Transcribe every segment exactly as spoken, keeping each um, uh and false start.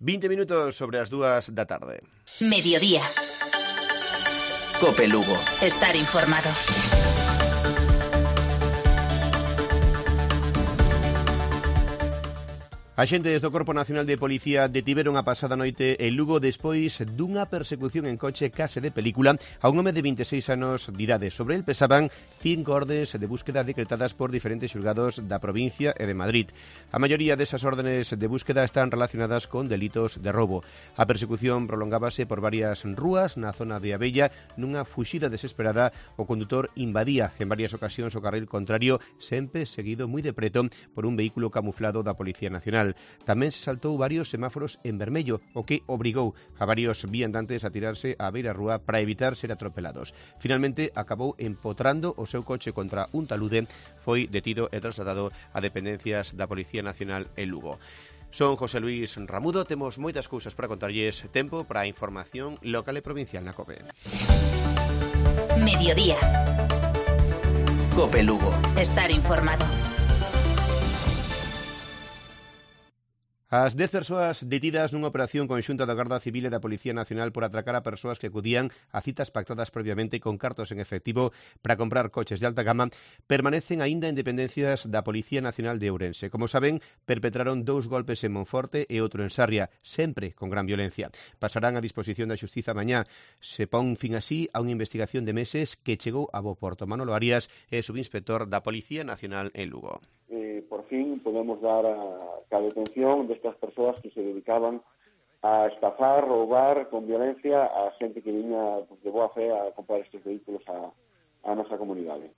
veinte minutos sobre as dúas da tarde. Mediodía. Cope Lugo. Estar informado. Axentes do Corpo Nacional de Policía detiveron a pasada noite en Lugo despois dunha persecución en coche case de película a un home de vinte e seis anos de idade. Sobre el pesaban cinco ordes de búsqueda decretadas por diferentes xulgados da provincia e de Madrid. A maioría desas órdenes de búsqueda están relacionadas con delitos de roubo. A persecución prolongábase por varias rúas na zona de Abella. Nunha fuxida desesperada, o condutor invadía en varias ocasións o carril contrario, sempre seguido moi de preto por un vehículo camuflado da Policía Nacional. Tamén se saltou varios semáforos en vermello, o que obrigou a varios viandantes a tirarse á beira rúa para evitar ser atropelados. Finalmente, acabou empotrando o seu coche contra un talude, foi detido e trasladado a dependencias da Policía Nacional en Lugo. Son José Luis Ramudo, temos moitas cousas para contarlles, tempo para a información local e provincial na COPE. Mediodía. Cope Lugo. Estar informado. As dez persoas detidas nunha operación conxunta da Garda Civil e da Policía Nacional por atracar a persoas que acudían a citas pactadas previamente con cartos en efectivo para comprar coches de alta gama permanecen aínda en dependencias da Policía Nacional de Ourense. Como saben, perpetraron dous golpes en Monforte e outro en Sarria, sempre con gran violencia. Pasarán a disposición da Xustiza mañá. Se pon fin así a unha investigación de meses que chegou a bo porto. Manolo Arias é subinspector da Policía Nacional en Lugo. Eh, por fin podemos dar a, a detención destas persoas que se dedicaban a estafar, roubar con violencia a xente que viña pues, de boa fe a comprar estes vehículos a, a nosa comunidade.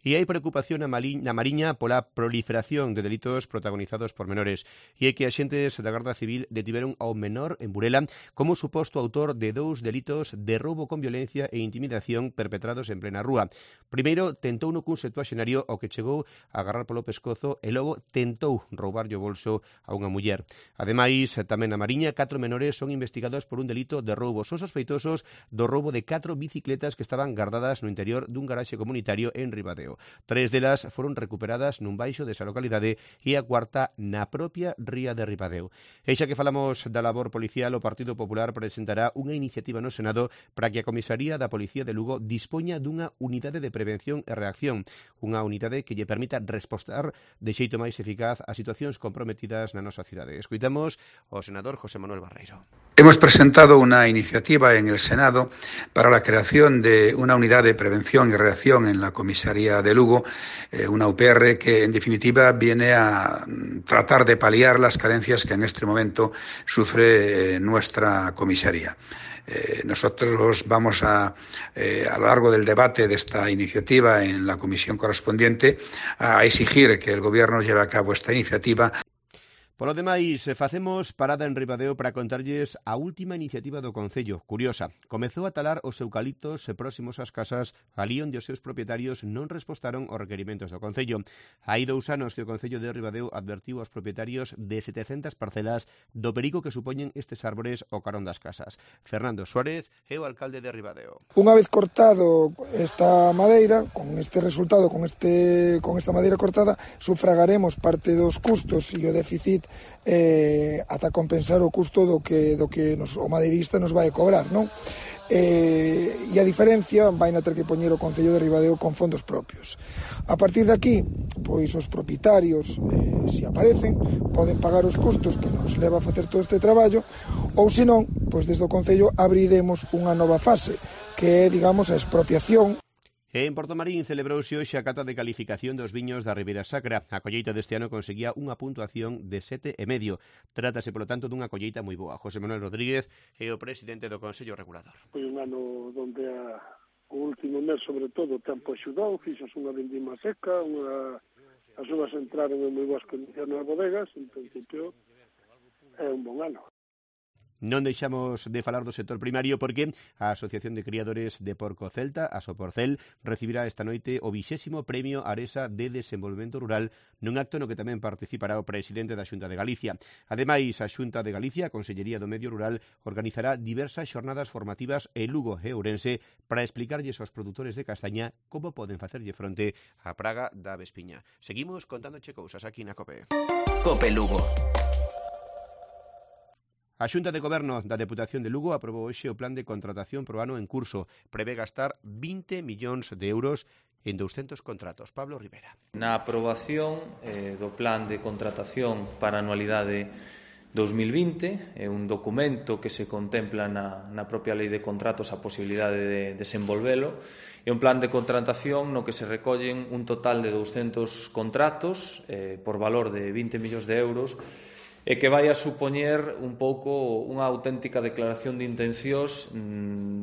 E hai preocupación na Mariña pola proliferación de delitos protagonizados por menores. E é que axentes da Garda Civil detiveron ao menor en Burela como suposto autor de dous delitos de roubo con violencia e intimidación perpetrados en plena rúa. Primeiro, tentou no cun septuaxenario ao que chegou a agarrar polo pescozo e logo tentou roubarlle o bolso a unha muller. Ademais, tamén na Mariña, catro menores son investigados por un delito de roubo. Son sospeitosos do roubo de catro bicicletas que estaban guardadas no interior dun garaxe comunitario en Ribadeo. Tres delas foron recuperadas nun baixo desa localidade e a cuarta na propia ría de Ribadeo. E xa que falamos da labor policial, o Partido Popular presentará unha iniciativa no Senado para que a Comisaría da Policía de Lugo dispoña dunha unidade de prevención e reacción, unha unidade que lle permita respostar de xeito máis eficaz a situacións comprometidas na nosa cidade. Escoitamos o senador José Manuel Barreiro. Hemos presentado una iniciativa en el Senado para la creación de una unidad de prevención y reacción en la Comisaría de Lugo, eh, una U P R que en definitiva viene a tratar de paliar las carencias que en este momento sufre eh, nuestra comisaría. Eh, nosotros vamos a, eh, a lo largo del debate de esta iniciativa en la comisión correspondiente a exigir que el Gobierno lleve a cabo esta iniciativa. Polo demais, facemos parada en Ribadeo para contarlles a última iniciativa do Concello. Curiosa, comezou a talar os eucaliptos próximos ás casas alí onde os seus propietarios non respostaron aos requerimentos do Concello. Hai dous anos que o Concello de Ribadeo advertiu aos propietarios de setecentas parcelas do perigo que supoñen estes árbores ao carón das casas. Fernando Suárez é o alcalde de Ribadeo. Unha vez cortado esta madeira, con este resultado, con este con esta madeira cortada, sufragaremos parte dos custos e o déficit eh, ata compensar o custo do que do que nos, o madeirista nos vai cobrar, non? Eh, e a diferencia vai na ter que poñer o Concello de Ribadeo con fondos propios. A partir de aquí, pois os propietarios, eh, se aparecen, poden pagar os custos que nos leva a facer todo este traballo, ou senón, pois desde o Concello abriremos unha nova fase, que é, digamos, a expropiación. En Portomarín celebrouse hoxe a cata de calificación dos viños da Ribeira Sacra. A colleita deste ano conseguía unha puntuación de sete e medio. Trátase, polo tanto, dunha colleita moi boa. José Manuel Rodríguez é o presidente do Consello Regulador. Foi un ano onde a, o último mes, sobre todo, o tempo axudou, fixos unha vendima seca, unha, as uvas entraron en moi boas condicións nas bodegas, en principio é un bon ano. Non deixamos de falar do sector primario porque a Asociación de Criadores de Porco Celta, a Soporcel, recibirá esta noite o vixésimo Premio Aresa de Desenvolvemento Rural nun acto no que tamén participará o presidente da Xunta de Galicia. Ademais, a Xunta de Galicia, a Consellería do Medio Rural, organizará diversas xornadas formativas en Lugo e Ourense para explicarlles aos produtores de castaña como poden facerlle fronte á praga da avespiña. Seguimos contándoche cousas aquí na COPE. COPE Lugo. A Xunta de Goberno da Deputación de Lugo aprobou hoxe o plan de contratación pro ano en curso. Prevé gastar vinte millóns de euros en douscentos contratos. Pablo Rivera. Na aprobación eh, do plan de contratación para a anualidade dos mil vinte, é un documento que se contempla na, na propia lei de contratos a posibilidade de desenvolvelo. É un plan de contratación no que se recollen un total de douscentos contratos eh, por valor de vinte millóns de euros e que vai a supoñer un pouco unha auténtica declaración de intencións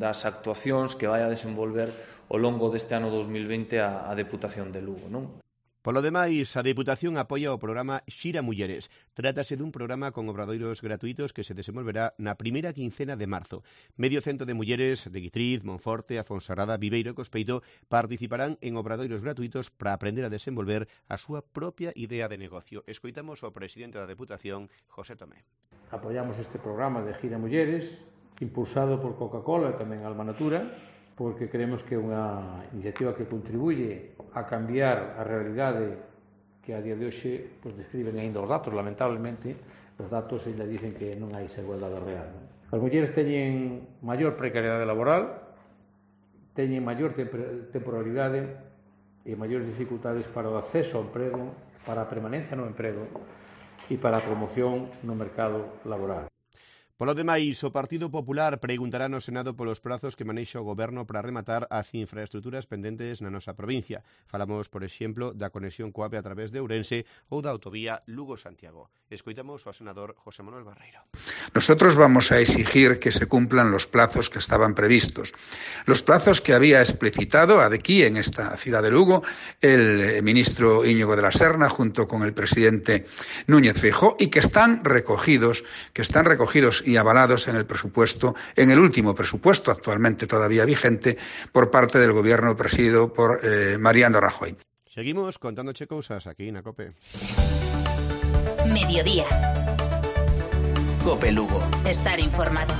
das actuacións que vai a desenvolver ao longo deste ano dos mil vinte a, a Deputación de Lugo, non? Polo demais, a Deputación apoia o programa Xira Mulleres. Trátase dun programa con obradoiros gratuitos que se desenvolverá na primeira quincena de marzo. Medio cento de mulleres de Guitriz, Monforte, Afonserrada, Viveiro e Cospeito participarán en obradoiros gratuitos para aprender a desenvolver a súa propia idea de negocio. Escoitamos ao presidente da Deputación, José Tomé. Apoiamos este programa de Xira Mulleres, impulsado por Coca-Cola e tamén Alma Natura, porque creemos que é unha iniciativa que contribuye a cambiar a realidade que a día de hoxe pues, describen ainda os datos. Lamentablemente, os datos ainda dicen que non hai esa igualdade real. As mulleres teñen maior precariedade laboral, teñen maior temporalidade e maiores dificultades para o acceso ao emprego, para a permanencia no emprego e para a promoción no mercado laboral. Polo demais, o Partido Popular preguntará no Senado polos prazos que manexa o Goberno para rematar as infraestructuras pendentes na nosa provincia. Falamos, por exemplo, da conexión coa A V E a través de Ourense ou da autovía Lugo-Santiago. Escoitamos ao senador José Manuel Barreiro. Nosotros vamos a exigir que se cumplan los plazos que estaban previstos. Los plazos que había explicitado aquí en esta ciudad de Lugo el ministro Íñigo de la Serna junto con el presidente Núñez Feijóo y que están recogidos, que están recogidos y avalados en el presupuesto, en el último presupuesto actualmente todavía vigente por parte del gobierno presidido por eh, Mariano Rajoy. Seguimos contándoche cousas aquí na COPE. Mediodía. COPE Lugo. Estar informado.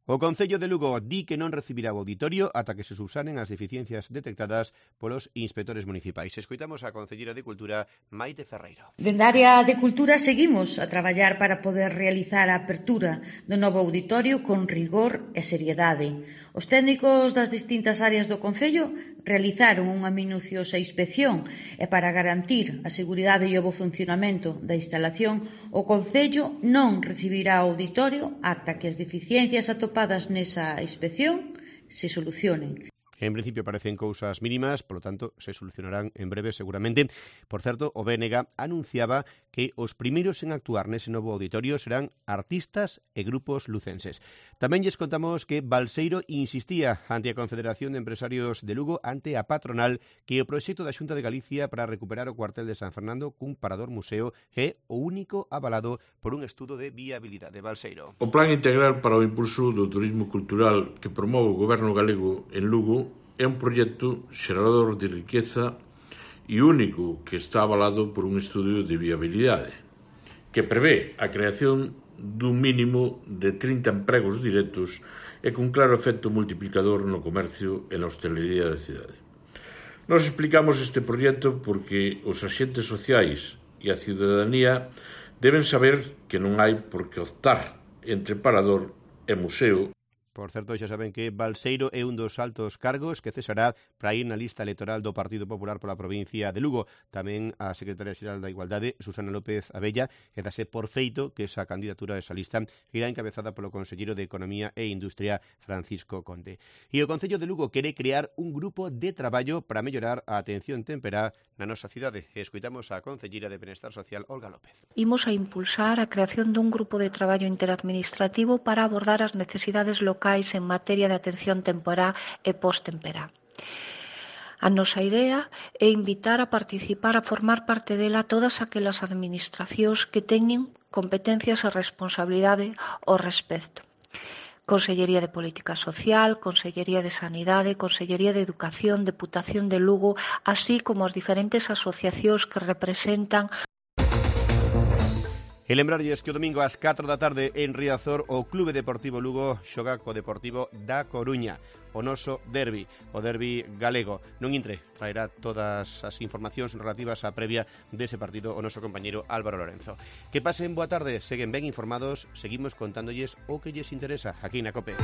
O Concello de Lugo di que non recibirá o auditorio ata que se subsanen as deficiencias detectadas polos inspectores municipais. Escoitamos a Concellera de Cultura, Maite Ferreiro. Dende a área de Cultura seguimos a traballar para poder realizar a apertura do novo auditorio con rigor e seriedade. Os técnicos das distintas áreas do Concello realizaron unha minuciosa inspección e para garantir a seguridade e o bo funcionamento da instalación, o Concello non recibirá o auditorio ata que as deficiencias atopadas nesa inspección se solucionen. En principio parecen cousas mínimas, polo tanto, se solucionarán en breve seguramente. Por certo, o B N G anunciaba que os primeiros en actuar nese novo auditorio serán artistas e grupos lucenses. Tamén lles contamos que Balseiro insistía ante a Confederación de Empresarios de Lugo, ante a patronal, que o proxecto da Xunta de Galicia para recuperar o cuartel de San Fernando cun parador museo é o único avalado por un estudo de viabilidade. Balseiro. O Plan Integral para o Impulso do Turismo Cultural que promove o Goberno galego en Lugo é un proxecto xerador de riqueza e único que está avalado por un estudio de viabilidade que prevé a creación dun mínimo de trinta empregos directos e cun claro efecto multiplicador no comercio e na hostelería da cidade. Nos explicamos este proxecto porque os axentes sociais e a ciudadanía deben saber que non hai por que optar entre parador e museo. Por certo, xa saben que Balseiro é un dos altos cargos que cesará para ir na lista electoral do Partido Popular pola provincia de Lugo. Tamén a secretaria xeral da Igualdade, Susana López Abella, que dase por feito que esa candidatura a esa lista irá encabezada polo conselleiro de Economía e Industria, Francisco Conde. E o Concello de Lugo quere crear un grupo de traballo para mellorar a atención temperá na nosa cidade. Escoitamos a concelleira de Benestar Social, Olga López. Imos a impulsar a creación dun grupo de traballo interadministrativo para abordar as necesidades locais en materia de atención temporá e post-temperá. A nosa idea é invitar a participar, a formar parte dela todas aquelas administracións que teñen competencias e responsabilidade ao respecto. Consellería de Política Social, Consellería de Sanidade, Consellería de Educación, Deputación de Lugo, así como as diferentes asociacións que representan. E lembrarlles que o domingo ás catro da tarde en Riazor o Clube Deportivo Lugo xoga co Deportivo da Coruña, o noso derbi, o derbi galego. Non intre, traerá todas as informacións relativas á previa dese partido o noso compañeiro Álvaro Lorenzo. Que pasen boa tarde, seguen ben informados, seguimos contándolles o que lles interesa aquí na COPE.